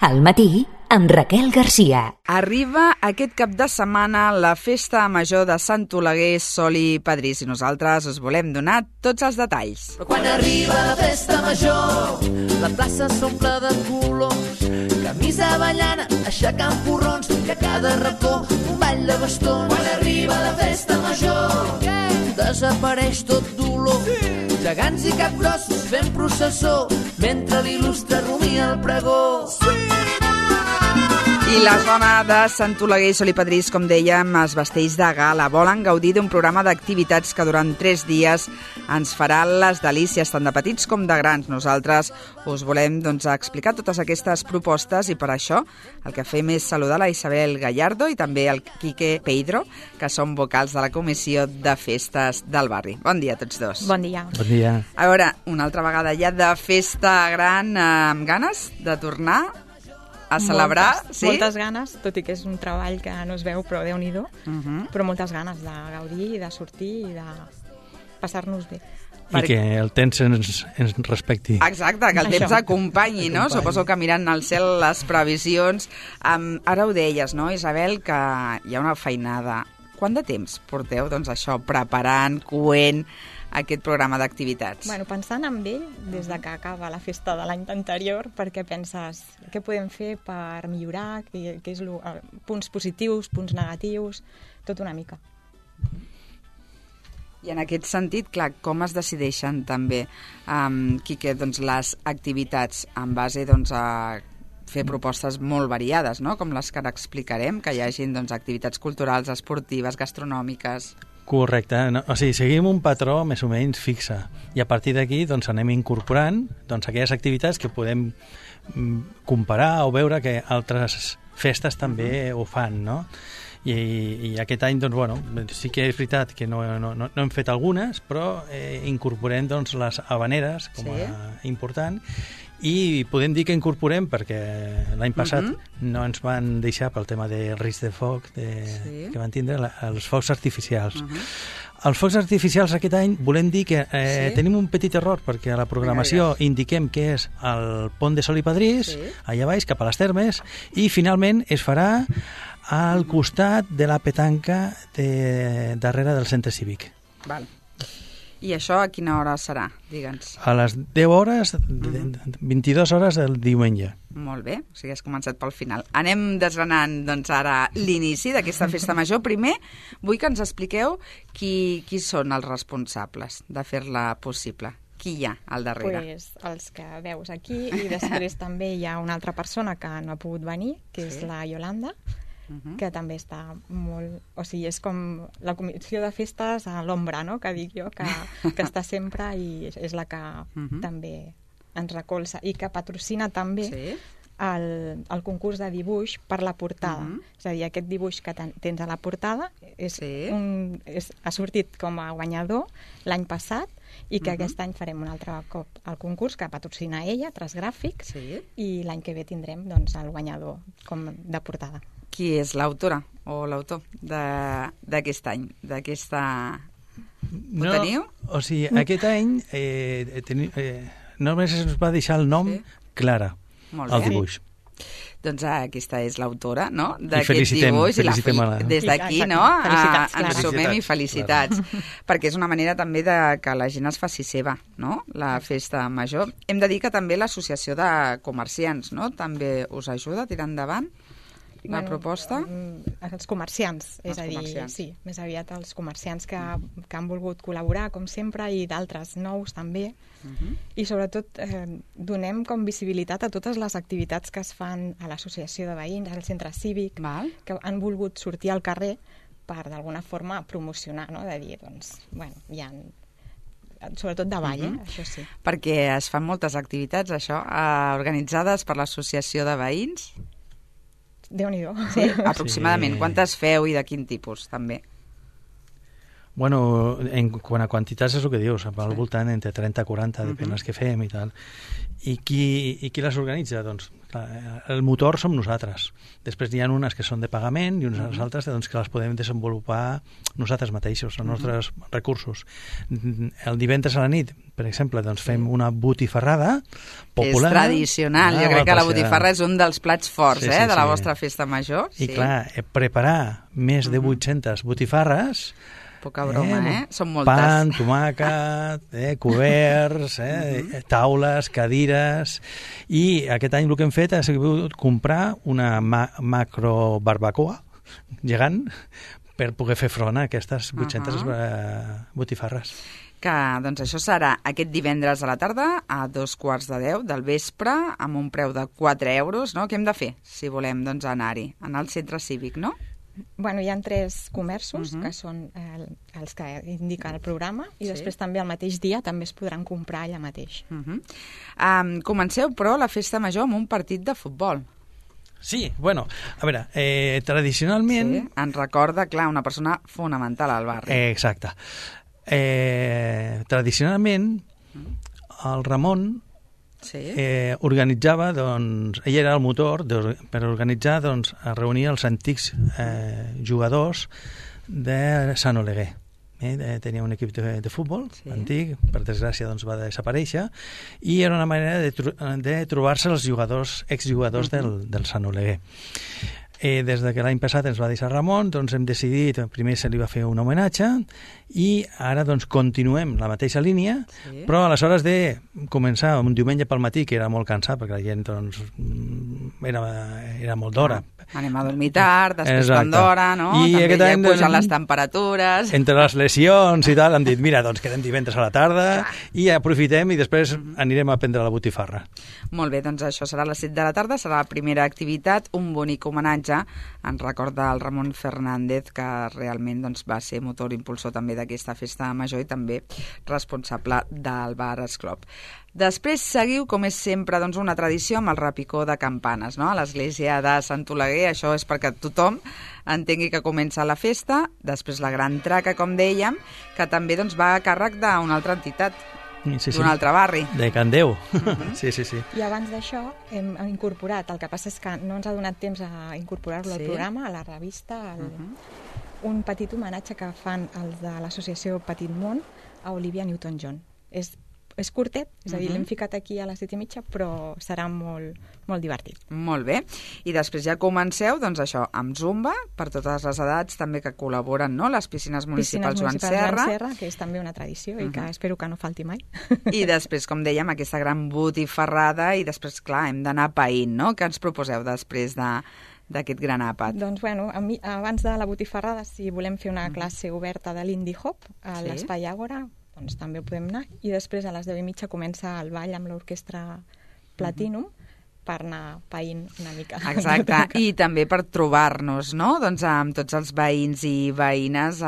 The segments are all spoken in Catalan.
Al matí, amb Raquel Garcia. Arriba aquest cap de setmana la festa major de Sant Oleguer, Sol i Padrís, i nosaltres us volem donar tots els detalls. Però quan arriba la festa major, la plaça s'omple de colors, camisa ballana, aixecant porrons, i a cada racó un ball de bastons. Quan arriba la festa major, desapareix tot dolor, gegants i capgrossos fent processó, mentre l'il·lustre rumia el pregó. I la zona de Sant Oleguer, Sol i Padrís, com dèiem, es vesteix de gala. Volen gaudir d'un programa d'activitats que durant 3 dies ens farà les delícies, tant de petits com de grans. Nosaltres us volem explicar totes aquestes propostes i per això el que fem és saludar la Isabel Gallardo i també el Quique Peidro, que són vocals de la Comissió de Festes del Barri. Bon dia a tots dos. Bon dia. Bon dia. A veure, una altra vegada ja de festa gran, amb ganes de tornar a celebrar, sí? Moltes ganes, tot i que és un treball que no es veu, però Déu-n'hi-do, però moltes ganes de gaudir i de sortir i de passar-nos bé. I que el temps ens respecti. Exacte, que el temps acompanyi, no? Suposo que mirant al cel les previsions. Ara ho deies, no, Isabel, que hi ha una feinada. Quant de temps porteu, això, preparant, coent aquest programa d'activitats? Bueno, pensant en ell des de que acaba la festa de l'any anterior, perquè penses què podem fer per millorar, què és punts positius, punts negatius, tot una mica. I en aquest sentit, clar, com es decideixen també, Quique, les activitats en base a fer propostes molt variades, no? Com les que ara explicarem, que hi hagin activitats culturals, esportives, gastronòmiques. Correcte, o sigui, seguim un patró més o menys fixe i a partir d'aquí anem incorporant aquelles activitats que podem comparar o veure que altres festes també ho fan, no? I aquest any, sí que és veritat que no hem fet algunes, però incorporem les havaneres com a important i podem dir que incorporem perquè l'any passat no ens van deixar pel tema de risc de foc que van tindre els focs artificials. Els focs artificials aquest any volem dir que tenim un petit error perquè a la programació indiquem que és el pont de Sol i Padrís, allà baix, cap a les Termes, i finalment es farà al costat de la petanca darrere del centre cívic. Val. I això a quina hora serà, digue'ns? A les 10 hores, 22 hores del diumenge. Molt bé, o sigui, has començat pel final. Anem desgranant, ara, l'inici d'aquesta festa major. Primer, vull que ens expliqueu qui són els responsables de fer-la possible. Qui hi ha al darrere? Pues els que veus aquí, i després també hi ha una altra persona que no ha pogut venir, que és la Yolanda, que també està molt... O sigui, és com la comissió de festes a l'ombra, no?, que dic jo, que està sempre i és la que també ens recolza i que patrocina també el concurs de dibuix per la portada. És a dir, aquest dibuix que tens a la portada ha sortit com a guanyador l'any passat i que aquest any farem un altre cop el concurs que patrocina ella, Transgràfic, i l'any que ve tindrem el guanyador com de portada. Qui és l'autora o l'autor d'aquest any, d'aquesta... Ho teniu? O sigui, aquest any només ens va deixar el nom Clara, el dibuix. Doncs aquesta és l'autora, no?, d'aquest dibuix. I des d'aquí, no?, ens sumem i felicitats. Perquè és una manera també que la gent es faci seva, no?, la festa major. Hem de dir que també l'associació de comerciants, no?, també us ajuda a tirar endavant la proposta? Els comerciants, és a dir, sí, més aviat els comerciants que han volgut col·laborar, com sempre, i d'altres nous també. I sobretot donem com visibilitat a totes les activitats que es fan a l'associació de veïns, al centre cívic, que han volgut sortir al carrer per d'alguna forma promocionar, no?, de dir, hi ha sobretot de ball, això sí. Perquè es fan moltes activitats, això, organitzades per l'associació de veïns. Déu-n'hi-do. Sí, aproximadament. Quantes feu i de quin tipus, també? Bueno, quant a quantitats és el que dius, al voltant entre 30 i 40, depèn dels que fem i tal. I qui les organitza? Doncs el motor som nosaltres. Després hi ha unes que són de pagament i unes altres doncs, que les podem desenvolupar nosaltres mateixos, els nostres recursos. El divendres a la nit, per exemple, doncs fem una botifarrada popular. És tradicional, jo crec que la botifarra és un dels plats forts de la vostra festa major. I clar, preparar més de 800 botifarres. Poca broma, Són moltes. Pan, tomàquet, coberts, taules, cadires... I aquest any el que hem fet ha sigut comprar una macro barbacoa gegant per poder fer front a aquestes 800 botifarres. Que, doncs això serà aquest divendres a la tarda a 9:45 del vespre amb un preu de 4 euros, no? Què hem de fer si volem doncs, anar-hi? Anar al centre cívic, no? Bueno, hi ha 3 comerços que són els que indiquen el programa i després també el mateix dia també es podran comprar allà mateix. Comenceu, però, la festa major amb un partit de futbol. Sí, bueno, a veure, tradicionalment... Sí, ens recorda, clar, una persona fonamental al barri. Exacte. Tradicionalment, el Ramon organitzava, doncs, ell era el motor per organitzar, doncs, a reunir els antics jugadors de Sant Oleguer. Tenia un equip de futbol antic, per desgràcia doncs, va desaparèixer, i era una manera de trobar-se els exjugadors del Sant Oleguer. Des de que l'any passat ens va deixar Ramon, doncs hem decidit, primer se li va fer un homenatge i ara doncs continuem la mateixa línia, però a les hores de començar un diumenge pel matí, que era molt cansat perquè la gent doncs, era molt d'hora. Anem a dormir tard, després quan d'hora, no? I també aquest any pugen les temperatures. Entre les lesions i tal, han dit, mira, doncs quedem divendres a la tarda i aprofitem i després anirem a prendre la botifarra. Molt bé, doncs això serà a les 7 de la tarda, serà la primera activitat, un bonic homenatge. Ens recorda el Ramon Fernández, que realment doncs, va ser motor impulsor també d'aquesta festa major i també responsable del bar Esclop. Després seguiu, com és sempre, doncs, una tradició amb el repicó de campanes, no? A l'església de Sant Oleguer, això és perquè tothom entengui que comença la festa, després la gran traca, com dèiem, que també doncs, va a càrrec d'una altra entitat, d'un altre barri. De Can Déu. Sí. I abans d'això hem incorporat, el que passa és que no ens ha donat temps a incorporar-lo al programa, a la revista, un petit homenatge que fan els de l'associació Petit Món a Olivia Newton-John. És curtet, és a dir, l'hem ficat aquí a les 7:30, però serà molt, molt divertit. Molt bé. I després ja comenceu, doncs això, amb Zumba, per totes les edats també que col·laboren, no?, les piscines municipals Joan Serra, que és també una tradició i que espero que no falti mai. I després, com dèiem, aquesta gran botifarrada i després, clar, hem d'anar païnt, no? Què ens proposeu després d'aquest gran àpat? Doncs, bueno, abans de la botifarrada, si volem fer una classe oberta de l'Indie Hop a l'Espai Àgora, doncs també ho podem anar. I després a les 10:30 comença el ball amb l'orquestra Platinum per anar païnt una mica. Exacte, i també per trobar-nos, no?, doncs amb tots els veïns i veïnes,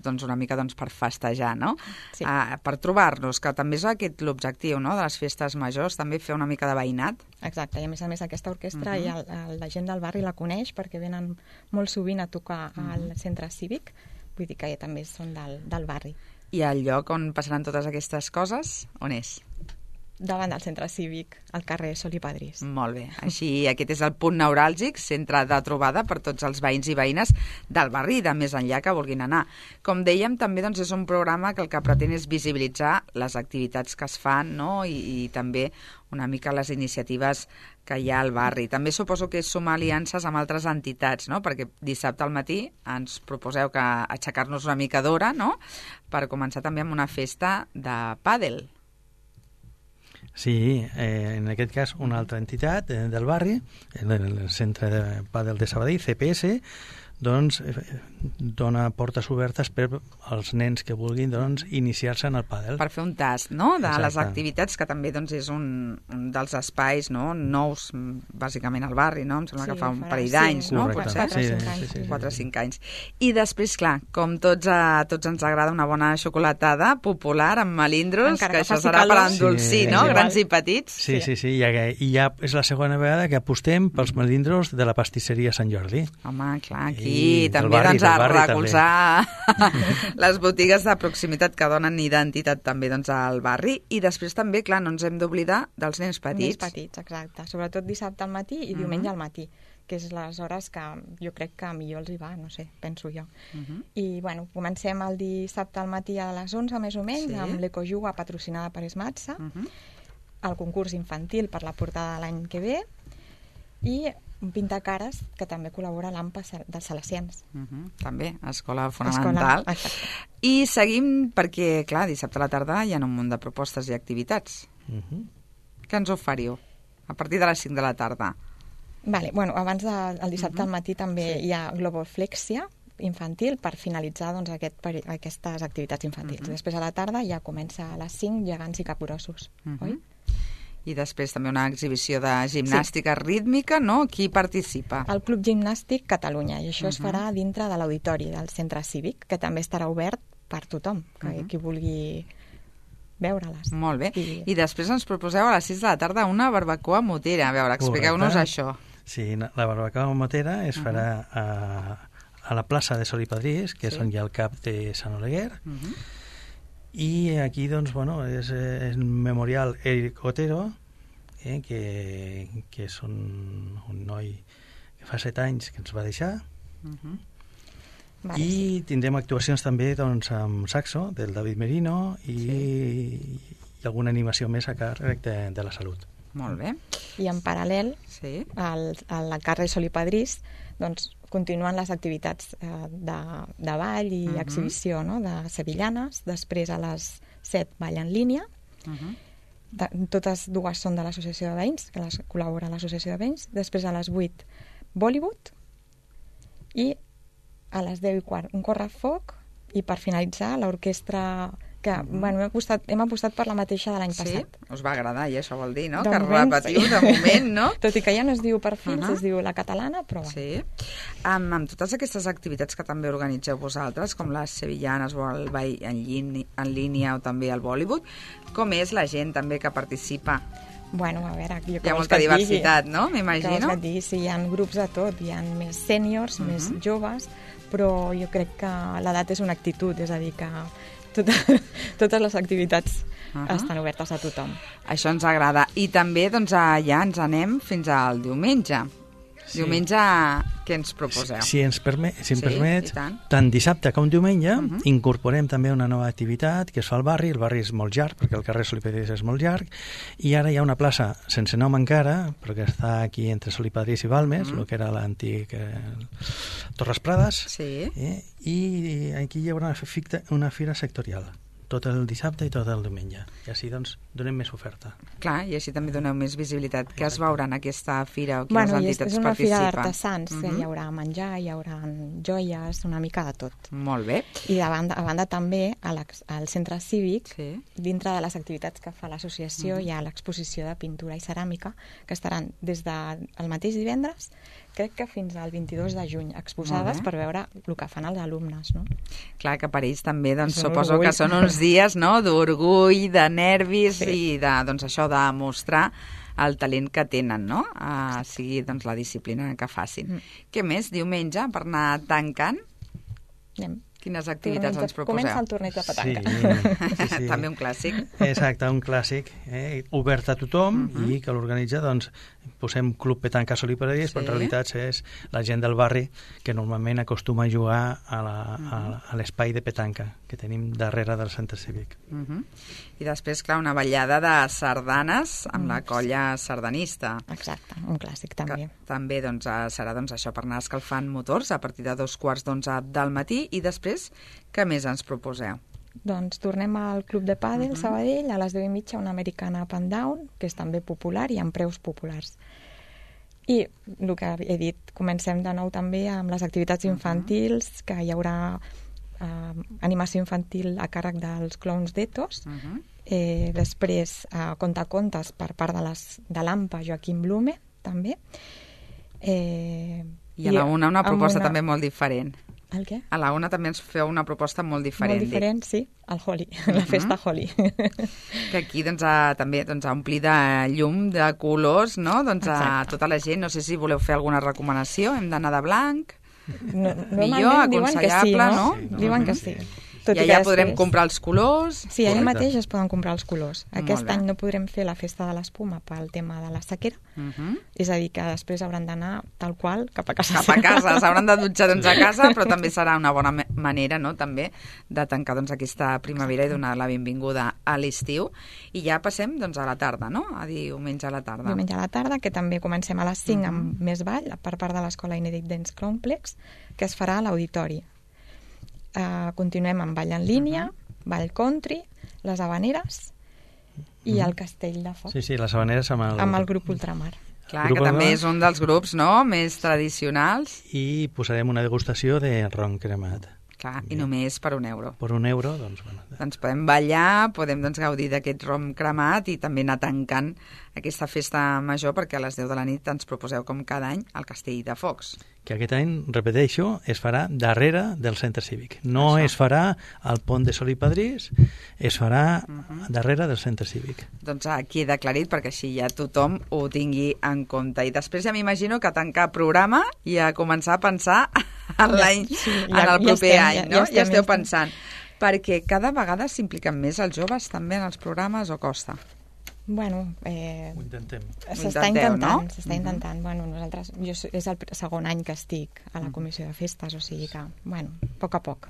doncs una mica doncs per festejar, no? Sí. Per trobar-nos, que també és aquest l'objectiu, no?, de les festes majors, també fer una mica de veïnat. Exacte, i a més aquesta orquestra i la gent del barri la coneix perquè venen molt sovint a tocar al centre cívic, vull dir que també són del barri. I el lloc on passaran totes aquestes coses, on és? Davant del centre cívic, al carrer Sol i Padrís. Molt bé. Així, aquest és el punt neuràlgic, centre de trobada per tots els veïns i veïnes del barri i de més enllà que vulguin anar. Com dèiem, també doncs, és un programa que el que pretén és visibilitzar les activitats que es fan, no?, i també una mica les iniciatives que hi ha al barri. També suposo que és sumar aliances amb altres entitats, no?, perquè dissabte al matí ens proposeu que aixecar-nos una mica d'hora, no?, per començar també amb una festa de pàdel. Sí, en aquest cas una altra entitat del barri, el Centre de Pàdel de Sabadell, CPS, doncs dona portes obertes per als nens que vulguin doncs, iniciar-se en el pàdel. Per fer un tast, no?, de les activitats, que també doncs, és un dels espais, no?, nous, bàsicament al barri, no?, em sembla que fa un parell d'anys, no?, potser? 4 o 5 anys. I després, clar, com tots ens agrada una bona xocolatada popular amb melindros, que això serà per endolcir, no?, grans i petits. Sí, i ja és la segona vegada que apostem pels melindros de la pastisseria Sant Jordi. Home, clar, aquí I també doncs, a recolzar les botigues de proximitat que donen identitat també doncs, al barri. I després també, clar, no ens hem d'oblidar dels nens petits. Nens petits, exacte. Sobretot dissabte al matí i diumenge al matí, que és les hores que jo crec que millor els hi va, no sé, penso jo. I, bueno, comencem el dissabte al matí a les 11, més o menys, amb l'Ecojuga patrocinada per Esmatsa, el concurs infantil per la portada de l'any que ve, i un pintacares que també col·labora l'AMPA dels Salesians. També, escola fonamental. I seguim perquè, clar, dissabte a la tarda hi ha un munt de propostes i activitats. Què ens oferiu? A partir de les 5 de la tarda. Vale, bueno, abans del dissabte al matí també hi ha Globoflexia infantil per finalitzar doncs, aquestes activitats infantils. Després a la tarda ja comença a les 5 gegants i capgrossos, oi? I després també una exhibició de gimnàstica rítmica, no? Qui participa? El Club Gimnàstic Catalunya, i això es farà dintre de l'auditori del centre cívic, que també estarà obert per tothom, que qui vulgui veure-les. Molt bé. I després ens proposeu a les 6 de la tarda una barbacoa motera. A veure, expliqueu-nos això. Sí, la barbacoa motera es farà a la plaça de Sol i Padrís, que és on hi ha el cap de Sant Oleguer, i aquí, doncs, bueno, és el memorial Eric Otero, que és un noi que fa 7 anys que ens va deixar, i tindrem actuacions també doncs, amb saxo, del David Merino, i alguna animació més a càrrec de la salut. Molt bé. I en paral·lel, al carrer Sol i Padrís, doncs, continuen les activitats de ball i exhibició, no?, de sevillanes. Després a les 7 ball en línia. Totes dues són de l'Associació de Veïns, que les col·labora l'Associació de Veïns. Després a les 8 Bollywood i a les 10:15 un correfoc, i per finalitzar l'orquestra que, bueno, hem apostat per la mateixa de l'any passat. Sí? Us va agradar, i això vol dir, no? Que repetiu de moment, no? Tot i que ja no es diu Perfils, es diu la catalana, però bueno. Sí. Amb totes aquestes activitats que també organitzeu vosaltres, com les sevillanes o el ball en línia o també el Bollywood, com és la gent també que participa? Bueno, a veure, jo hi ha molta diversitat, no? M'imagino. Sí, hi ha grups de tot, hi ha més sèniors, més joves, però jo crec que l'edat és una actitud, és a dir, que totes les activitats estan obertes a tothom. Això ens agrada. I també doncs, ja ens anem fins al diumenge. Diumenge, què ens proposeu? Si em permets, tant dissabte com diumenge incorporem també una nova activitat que es fa al barri. El barri és molt llarg, perquè el carrer Sol i Padrís és molt llarg, i ara hi ha una plaça sense nom encara, però que està aquí entre Sol i Padrís i Balmes, el que era l'antic Torres Prades, i aquí hi haurà una fira sectorial, tot el dissabte i tot el diumenge, i així doncs donem més oferta. Clar, i així també doneu més visibilitat. Què es veurà en aquesta fira o quines entitats participen? És una fira d'artesans, hi haurà menjar, hi haurà joies, una mica de tot. Molt bé. I a banda també al centre cívic, dintre de les activitats que fa l'associació, hi ha l'exposició de pintura i ceràmica, que estaran des del mateix divendres, crec que fins al 22 de juny, exposades per veure el que fan els alumnes, no? Clar, que per ells també, doncs, suposo que són uns dies, no?, d'orgull, de nervis i de, doncs, això, de mostrar el talent que tenen, no?, sigui, doncs, la disciplina que facin. Què més? Diumenge, per anar tancant? Anem. Quines activitats ens proposeu? Comença el torneig de petanca. Sí. També un clàssic. Exacte, un clàssic, obert a tothom, i que l'organitza, doncs, posem Club Petanca Sol i Padrís, però en realitat és la gent del barri que normalment acostuma a jugar a l'espai de petanca que tenim darrere del centre cívic. I després, clar, una ballada de sardanes amb la colla sardanista. Exacte, un clàssic també. També doncs, serà això per anar escalfant motors a partir de 2:15 del matí. I després, què més ens proposeu? Doncs tornem al Club de Pàdel Sabadell, a les 10:30 una americana up and down, que és també popular i amb preus populars. I el que he dit, comencem de nou també amb les activitats infantils, que hi haurà animació infantil a càrrec dels clowns d'Etos, després contacontes per part de l'AMPA Joaquim Blume, també. I a la una proposta també molt diferent. El què? A la una també ens feu una proposta molt diferent. Molt diferent, sí, el Holi, la festa Holi. Que aquí doncs, també a omplir de llum, de colors, no? Doncs a tota la gent. No sé si voleu fer alguna recomanació. Hem d'anar de blanc? Millor, aconsellable, no? Diuen que sí. I allà podrem comprar els colors. Sí, allà mateix es poden comprar els colors. Aquest any no podrem fer la festa de l'espuma pel tema de la sequera, és a dir, que després hauran d'anar tal qual cap a casa. Cap a casa, s'hauran de dutxar a casa, però també serà una bona manera, no?, també de tancar aquesta primavera i donar la benvinguda a l'estiu. I ja passem a la tarda, no?, a diumenge a la tarda. Diumenge a la tarda, que també comencem a les 5 amb més ball per part de l'Escola Inèdit Dance Complex, que es farà a l'auditori. Continuem amb ball en línia, ball country, les habaneres i el castell de foc. Sí, les habaneres amb el grup Ultramar. Clar, que també és un dels grups, no?, més tradicionals. I posarem una degustació de rom cremat. Clar, i només per €1. Per €1, doncs, bueno. Doncs podem ballar, podem gaudir d'aquest rom cremat i també anar tancant aquesta festa major, perquè a les 10 de la nit ens proposeu, com cada any, el Castell de Focs. Que aquest any, repeteixo, es farà darrere del centre cívic. No es farà al pont de Sol i Padrís, es farà darrere del centre cívic. Doncs aquí he aclarit, perquè així ja tothom ho tingui en compte. I després ja m'imagino que tancar programa i a començar a pensar en l'any, en el proper any, no? Ja esteu pensant. Perquè cada vegada s'impliquen més els joves també en els programes o costa? Bueno, ho intentem. S'està intentant. Bueno, jo és el segon any que estic a la comissió de festes, o sigui que, bueno, a poc a poc.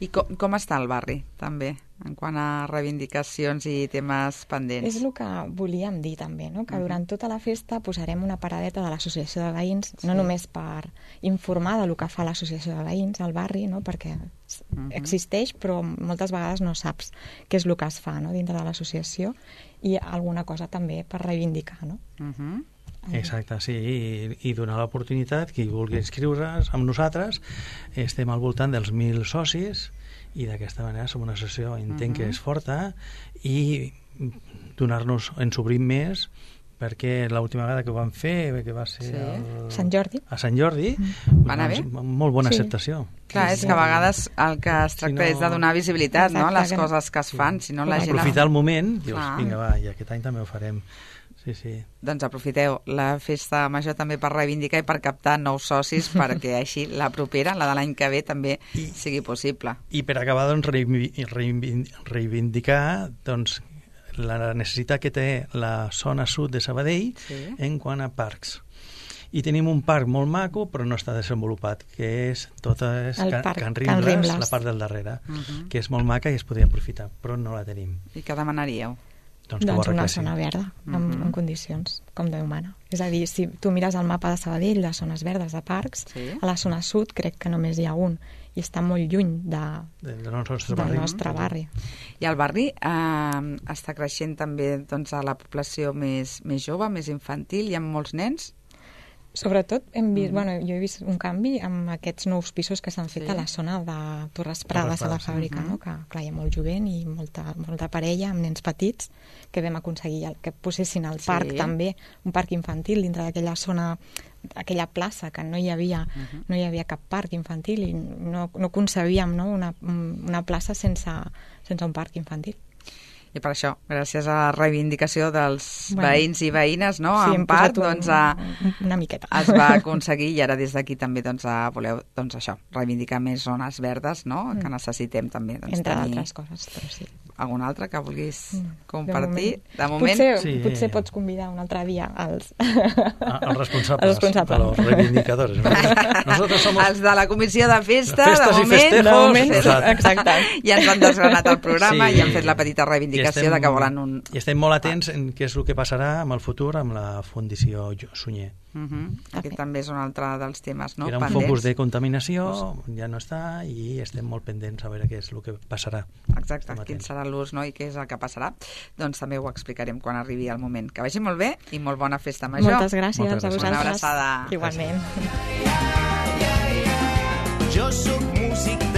I com està el barri, també, en quant a reivindicacions i temes pendents? És el que volíem dir, també, no?, que durant tota la festa posarem una paradeta de l'associació de veïns, no només per informar del que fa l'associació de veïns al barri, no?, perquè existeix, però moltes vegades no saps què és el que es fa, no?, dintre de l'associació, i alguna cosa també per reivindicar, no? Exacte, sí, i donar l'oportunitat qui vulgui inscriure's amb nosaltres. Estem al voltant dels 1.000 socis i d'aquesta manera som una associació, entenc que és forta, i donar-nos, ens obrim més, perquè l'última vegada que ho vam fer, que va ser a Sant Jordi, va anar bé? Molt bona acceptació. Clar, és que a vegades el que es tracta és de donar visibilitat, no?, a les coses que es fan, si no la gent... Aprofitar el moment, dius, vinga, va, i aquest any també ho farem. Sí. Doncs aprofiteu la festa major també per reivindicar i per captar nous socis, perquè així la propera, la de l'any que ve, també sigui possible. I per acabar, doncs, reivindicar, doncs, la necessitat que té la zona sud de Sabadell en quant a parcs. I tenim un parc molt maco, però no està desenvolupat, que és Can Rimblas, la part del darrere, que és molt maca i es podria aprofitar, però no la tenim. I què demanaríeu? Doncs una zona verda, en condicions, com Déu mana. És a dir, si tu mires el mapa de Sabadell, les zones verdes de parcs, a la zona sud crec que només hi ha un, i està molt lluny del nostre barri. I el barri està creixent també a la població més jove, més infantil, hi ha molts nens? Sobretot hem vist, jo he vist un canvi amb aquests nous pisos que s'han fet a la zona de Torres Prades, a la fàbrica, no? Que clar, hi ha molt jovent i molta parella amb nens petits, que vam aconseguir que posessin al parc també, un parc infantil dintre d'aquella zona, aquella plaça que no hi havia cap parc infantil i no concebíem una plaça sense un parc infantil. I per això, gràcies a la reivindicació dels veïns i veïnes, no? En part, una miqueta. Es va aconseguir i ara des d'aquí també voleu, això, reivindicar més zones verdes, no? Que necessitem també. Entre altres coses, però sí. Algun altre que vulguis compartir? De moment? Potser pots convidar un altre dia els responsables, els reivindicadors. Nosotros somos els de la comissió de festa, de moment, exacte. Ja ens han desgranat el programa i han fet la petita reivindicació de que volen un... I estem molt atents en què és el que passarà amb el futur amb la Fundació Sunyer. Aquest també és un altre dels temes, no? Era un focus de contaminació, ja no està, i estem molt pendents a veure què és el que passarà. Exacte, quin serà l'ús, no?, i què és el que passarà. Doncs també ho explicarem quan arribi el moment. Que vagi molt bé i molt bona festa major. Moltes gràcies a vosaltres. Una abraçada. Igualment. Jo sóc músic